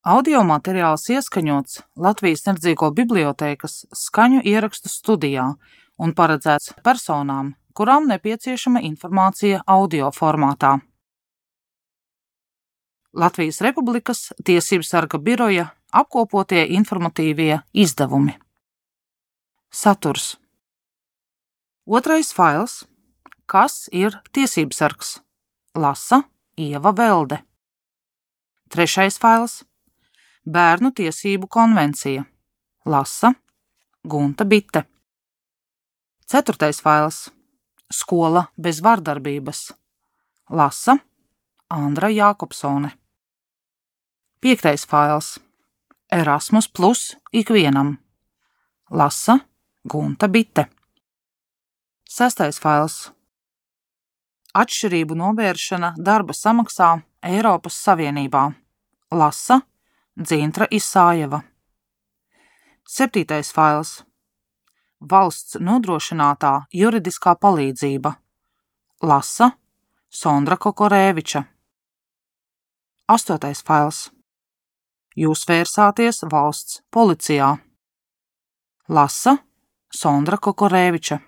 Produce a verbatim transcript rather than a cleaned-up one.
Audio materiāls ieskaņots Latvijas Neredzīgo bibliotēkas skaņu ierakstu studijā un paredzēts personām, kurām nepieciešama informācija audio formātā. Latvijas Republikas Tiesību sarga biroja apkopotie informatīvie izdevumi. Saturs. Otrais fails. Kas ir tiesībsargs? Lasa Ieva Velde. Trešais fails. Bērnu tiesību konvencija. Lasa Gunta Bite. Ceturtais fails. Skola bez vardarbības. Lasa Andra Jākopsone. Piektais fails. Erasmus plus ikvienam. Lasa Gunta Bite. Sestais fails. Atšķirību novēršana darba samaksā Eiropas Savienībā. Lasa Dzintra Isājeva. Septītais fails. Valsts nodrošinātā juridiskā palīdzība. Lasa Sondra Kokorēviča. Astotais fails. Jūs vērsāties valsts policijā. Lasa Sondra Kokorēviča.